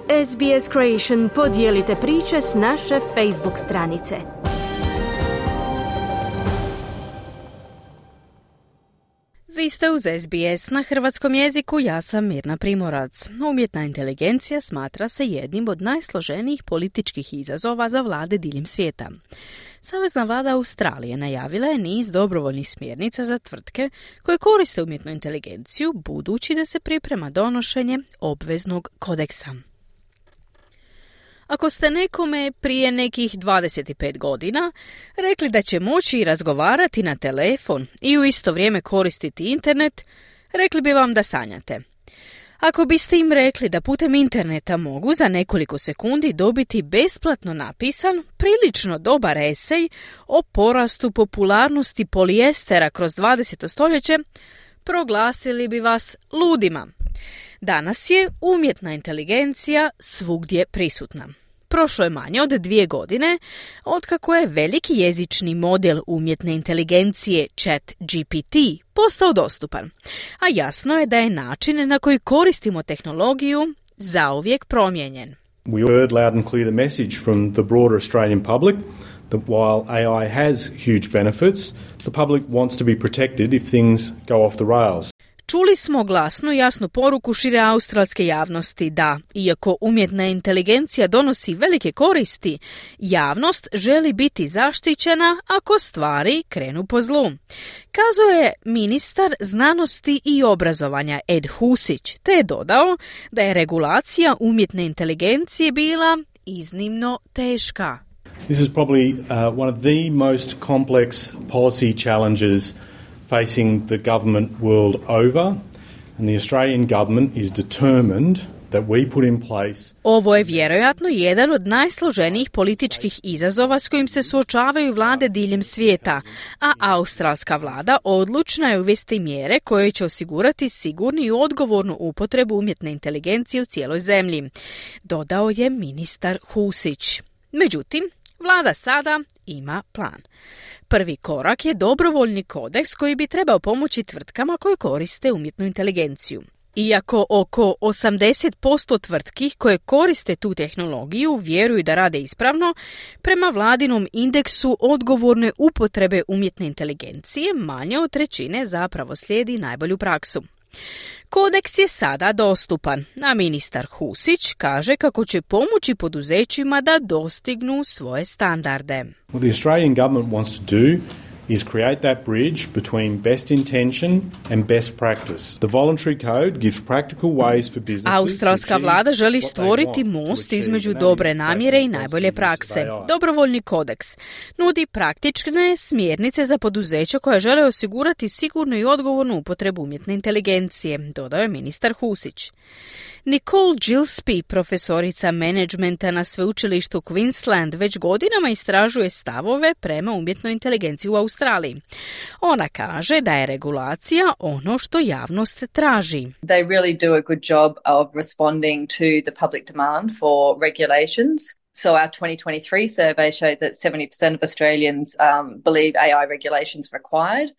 SBS Creation podijelite priče s naše Facebook stranice. Vi ste uz SBS na hrvatskom jeziku, ja sam Mirna Primorac. Umjetna inteligencija smatra se jednim od najsloženijih političkih izazova za vlade diljem svijeta. Savezna vlada Australije najavila je niz dobrovoljnih smjernica za tvrtke koje koriste umjetnu inteligenciju, budući da se priprema donošenje obveznog kodeksa. Ako ste nekome prije nekih 25 godina rekli da će moći razgovarati na telefon i u isto vrijeme koristiti internet, rekli bi vam da sanjate. Ako biste im rekli da putem interneta mogu za nekoliko sekundi dobiti besplatno napisan, prilično dobar esej o porastu popularnosti polijestera kroz 20. stoljeće, proglasili bi vas ludima. Danas je umjetna inteligencija svugdje prisutna. Prošlo je manje od 2 godine otkako je veliki jezični model umjetne inteligencije ChatGPT postao dostupan, a jasno je da je način na koji koristimo tehnologiju zauvijek promijenjen. We heard loud and clear the message from the broader Australian public that while AI has huge benefits, the public wants to be protected if things go off the rails. Čuli smo glasnu i jasnu poruku šire australske javnosti da, iako umjetna inteligencija donosi velike koristi, javnost želi biti zaštićena ako stvari krenu po zlu. Kazao je ministar znanosti i obrazovanja Ed Husić, te je dodao da je regulacija umjetne inteligencije bila iznimno teška. This is probably one of the most complex policy challenges facing the government world over, and the Australian government is determined that we put in place. Ovo je vjerojatno jedan od najsloženijih političkih izazova s kojim se suočavaju vlade diljem svijeta, a australska vlada odlučna je uvesti mjere koje će osigurati sigurnu i odgovornu upotrebu umjetne inteligencije u cijeloj zemlji, dodao je ministar Husić. Međutim, vlada sada ima plan. Prvi korak je dobrovoljni kodeks koji bi trebao pomoći tvrtkama koje koriste umjetnu inteligenciju. Iako oko 80% tvrtki koje koriste tu tehnologiju vjeruju da rade ispravno, prema vladinom indeksu odgovorne upotrebe umjetne inteligencije manje od 1/3 zapravo slijedi najbolju praksu. Kodeks je sada dostupan, a ministar Husić kaže kako će pomoći poduzećima da dostignu svoje standarde. What the Australian government wants to do is create that bridge between best intention and best practice. The voluntary code gives practical ways for businesses. Australska vlada želi stvoriti most između dobre namjere i najbolje prakse. Dobrovoljni kodeks nudi praktične smjernice za poduzeća koja žele osigurati sigurnu i odgovornu upotrebu umjetne inteligencije, dodao je ministar Husić. Nicole Gillespie, profesorica menadžmenta na sveučilištu Queensland, već godinama istražuje stavove prema umjetnoj inteligenciji u Australiji. Ona kaže da je regulacija ono što javnost traži. They really do a good job of responding to the public demand for regulations. So our 2023 survey showed that 70% of Australians believe AI regulations required.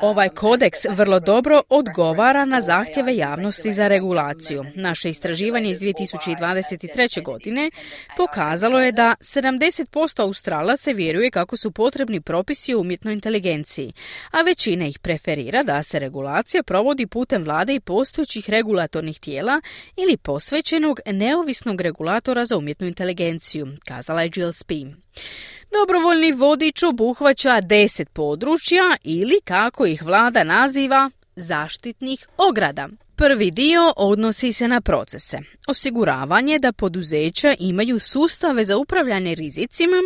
Ovaj kodeks vrlo dobro odgovara na zahtjeve javnosti za regulaciju. Naše istraživanje iz 2023. godine pokazalo je da 70% Australaca vjeruje kako su potrebni propisi o umjetnoj inteligenciji, a većina ih preferira da se regulacija provodi putem vlade i postojećih regulatornih tijela ili posvećenog neovisnog regulatora za umjetnu inteligenciju, kazala je Gillespie. Dobrovoljni vodič obuhvaća 10 područja ili, kako ih vlada naziva, zaštitnih ograda. Prvi dio odnosi se na procese. Osiguravanje da poduzeća imaju sustave za upravljanje rizicima,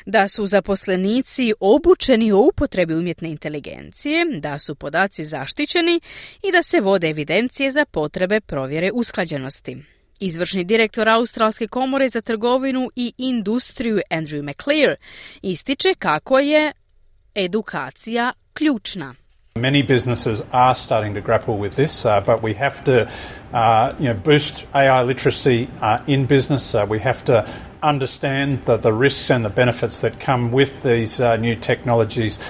da su zaposlenici obučeni o upotrebi umjetne inteligencije, da su podaci zaštićeni i da se vode evidencije za potrebe provjere usklađenosti. Izvršni direktor Australske komore za trgovinu i industriju Andrew McClear ističe kako je edukacija ključna. Many businesses are starting to grapple with this, but we have to boost AI literacy in business. We have to understand the risks and the benefits that come with these new technologies.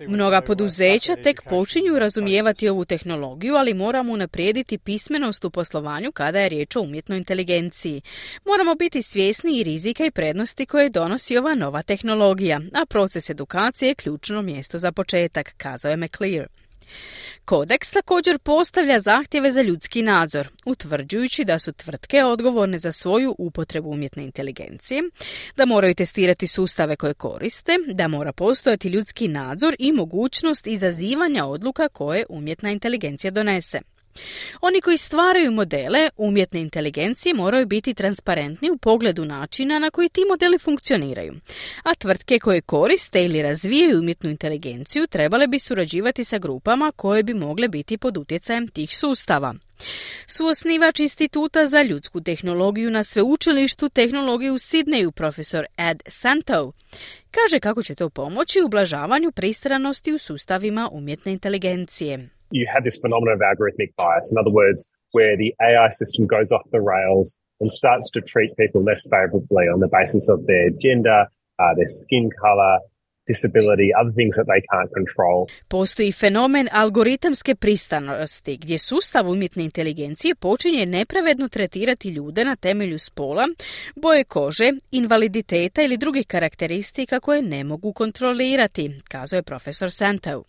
Mnoga poduzeća tek počinju razumijevati ovu tehnologiju, ali moramo unaprijediti pismenost u poslovanju kada je riječ o umjetnoj inteligenciji. Moramo biti svjesni i rizika i prednosti koje donosi ova nova tehnologija, a proces edukacije je ključno mjesto za početak, kazao je McClear. Kodeks također postavlja zahtjeve za ljudski nadzor, utvrđujući da su tvrtke odgovorne za svoju upotrebu umjetne inteligencije, da moraju testirati sustave koje koriste, da mora postojati ljudski nadzor i mogućnost izazivanja odluka koje umjetna inteligencija donese. Oni koji stvaraju modele umjetne inteligencije moraju biti transparentni u pogledu načina na koji ti modeli funkcioniraju, a tvrtke koje koriste ili razvijaju umjetnu inteligenciju trebale bi surađivati sa grupama koje bi mogle biti pod utjecajem tih sustava. Suosnivač Instituta za ljudsku tehnologiju na sveučilištu tehnologije u Sidneju, profesor Ed Santow, kaže kako će to pomoći u ublažavanju pristranosti u sustavima umjetne inteligencije. You have this phenomenon of algorithmic bias. In other words, where the AI system goes off the rails and starts to treat people less favorably on the basis of their gender, their skin color, disability, other things that they can't control. Postoji fenomen algoritamske pristranosti, gdje sustav umjetne inteligencije počinje nepravedno tretirati ljude na temelju spola, boje kože, invaliditeta ili drugih karakteristika koje ne mogu kontrolirati, kazao je profesor Santow.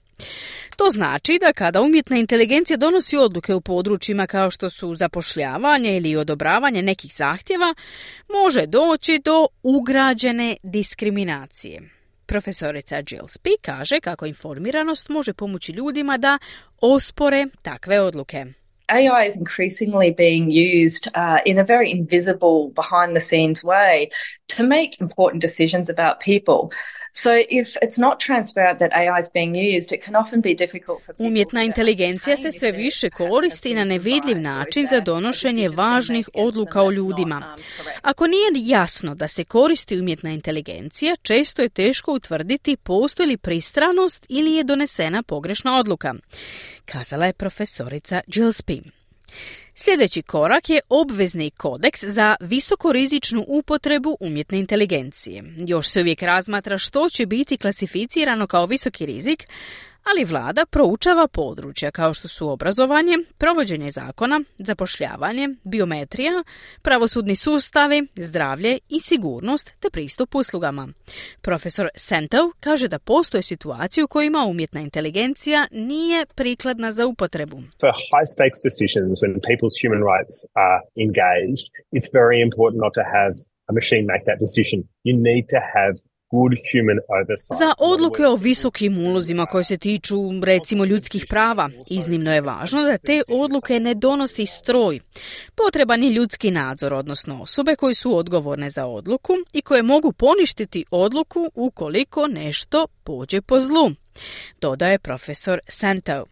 To znači da kada umjetna inteligencija donosi odluke u područjima kao što su zapošljavanje ili odobravanje nekih zahtjeva, može doći do ugrađene diskriminacije. Profesorica Gillespie kaže kako informiranost može pomoći ljudima da ospore takve odluke. AI is increasingly being used in a very invisible, behind-the-scenes way to make important decisions about people. So if it's not transparent that AI is being used, it can often be difficult for people. Umjetna inteligencija se sve više koristi na nevidljiv način za donošenje važnih odluka o ljudima. Ako nije jasno da se koristi umjetna inteligencija, često je teško utvrditi postoji li pristranost ili je donesena pogrešna odluka, kazala je profesorica Gillespie. Sljedeći korak je obvezni kodeks za visokorizičnu upotrebu umjetne inteligencije. Još se uvijek razmatra što će biti klasificirano kao visoki rizik, ali vlada proučava područja kao što su obrazovanje, provođenje zakona, zapošljavanje, biometrija, pravosudni sustavi, zdravlje i sigurnost te pristup uslugama. Profesor Santow kaže da postoje situacije u kojima umjetna inteligencija nije prikladna za upotrebu. For high stakes decisions when people's human rights are engaged, it's very important not to have a machine make that decision. You need to have za odluke o visokim ulozima koje se tiču, recimo, ljudskih prava, iznimno je važno da te odluke ne donosi stroj. Potreban je ljudski nadzor, odnosno osobe koje su odgovorne za odluku i koje mogu poništiti odluku ukoliko nešto pođe po zlu, dodaje profesor Santow.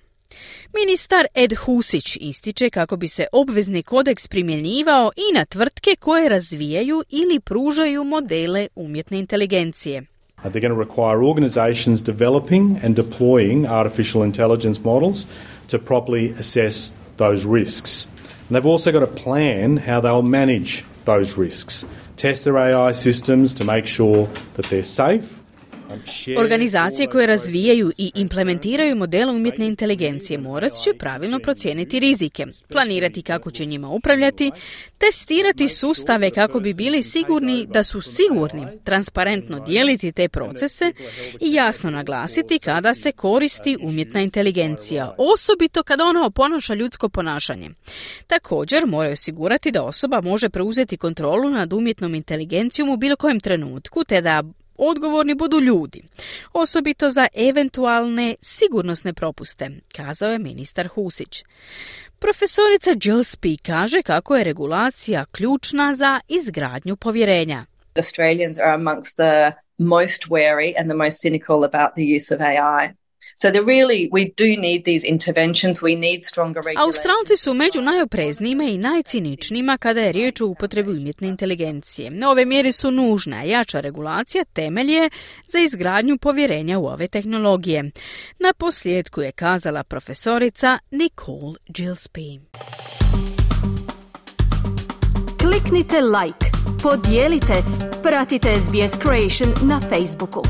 Ministar Ed Husić ističe kako bi se obvezni kodeks primjenjivao i na tvrtke koje razvijaju ili pružaju modele umjetne inteligencije. They're going to require organizations developing and deploying artificial intelligence models to properly assess those risks. And they've also got to plan how they'll manage those risks. Test their AI systems to make sure that they're safe. Organizacije koje razvijaju i implementiraju modele umjetne inteligencije morat će pravilno procijeniti rizike, planirati kako će njima upravljati, testirati sustave kako bi bili sigurni da su sigurni, transparentno dijeliti te procese i jasno naglasiti kada se koristi umjetna inteligencija, osobito kada ona oponaša ljudsko ponašanje. Također moraju osigurati da osoba može preuzeti kontrolu nad umjetnom inteligencijom u bilo kojem trenutku, te da odgovorni budu ljudi, osobito za eventualne sigurnosne propuste, kazao je ministar Husić. Profesorica Gillespie kaže kako je regulacija ključna za izgradnju povjerenja. Australians are amongst the most wary and the most cynical about the use of AI. So we do need these interventions, we need stronger regulations. Australci su među najopreznijima i najciničnijima kada je riječ o upotrebi umjetne inteligencije. Ove mjere su nužne, a jača regulacija temelj je za izgradnju povjerenja u ove tehnologije. Na posljedku je kazala profesorica Nicole Gillespie. Kliknite like, podijelite, pratite SBS Creation na Facebooku.